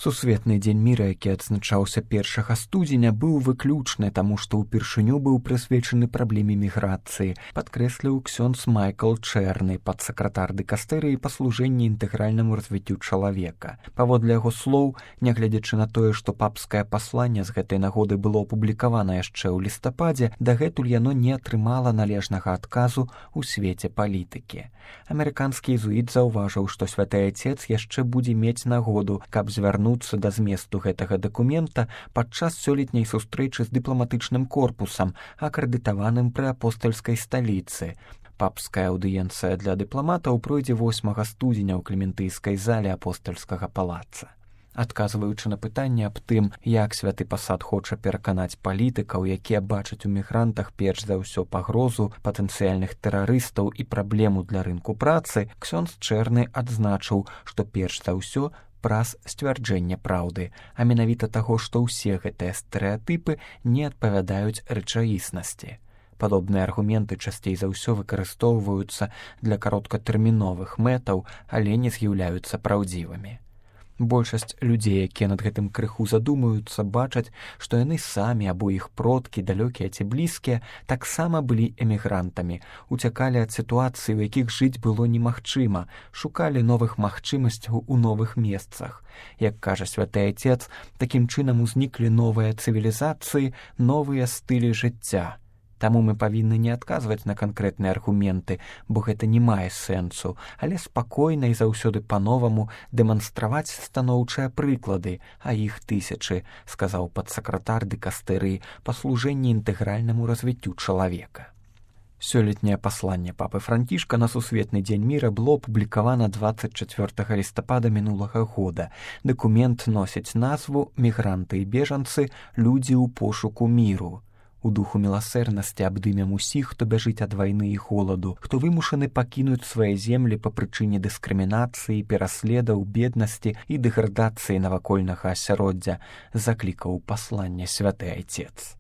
Сусветны дзень міра, які адзначаўся 1 студзеня, быў выключны, таму што ўпершыню быў прысвечаны праблеме міграцыі, падкрэсліў ксёндз Майкл Чэрны, падсакратар дыкастэрыі па служэнні інтэгральнаму развіццю чалавека. Паводле яго слоў, нягледзячы на тое, што папскае пасланне з гэтай нагоды было апублікавана яшчэ ў лістападзе, дагэтуль яно не атрымала належнага адказу ў свеце палітыкі. Амерыканскі езуіт заўважыў, што святы Айцец яшчэ будзе мець нагоду, каб звярнуцца да зместу гэтага дакумента падчас сёлетняй сустрэчы з дыпламатычным корпусам, акрэдытаваным пры апостальскай сталіцы. Папская аўдыенцыя для дыпламатаў пройдзе 8 студзеня ў клементыйскай зале апостальскага палаца. Адказваючы на пытанне аб тым, як святы пасад хоча пераканаць палітыкаў, якія бачаць у мігрантах перш за ўсё пагрозу патэнцыяльных тэрарыстаў і праблему для рынку працы, ксёндз Чэрны адзначыў, што перш за ўсё праз сцвярджэнне праўды, а менавіта таго, што ўсе гэтыя стэрэатыпы не адпавядаюць рэчаіснасці. Падобныя аргументы часцей за ўсё выкарыстоўваюцца для кароткатэрміновых мэтаў, але не з'яўляюцца праўдзівымі. Большасць людзей, якія над гэтым крыху задумаюцца, бачаць, што яны самі або іх продкі, далёкія ці блізкія, таксама былі эмігрантамі, уцякалі ад сітуацыі, у якіх жыць было немагчыма, шукалі новых магчымасцяў у новых месцах. Як кажа святы Айцец, такім чынам узніклі новыя цывілізацыі, новыя стылі жыцця. Таму мы павінны не адказваць на канкрэтныя аргументы, бо гэта не мае сэнсу, але спакойна і заўсёды па-новаму дэманстраваць станоўчыя прыклады, а іх тысячы, сказаў падсакратар дыкастэрыі па служэнні інтэгральнаму развіццю чалавека. Сёлетняе пасланне папы Францішка на сусветны дзень міра было апублікавана 24 лістапада мінулага года. Дакумент носіць назву «Мігранты і бежанцы. Людзі ў пошуку міру». У духу міласэрнасці абдымем усіх, хто бяжыць ад вайны і холаду, хто вымушаны пакінуць свае землі па прычыне дыскрымінацыі, пераследаў, беднасці і дэградацыі навакольнага асяроддзя, заклікаў пасланне святы Айцец.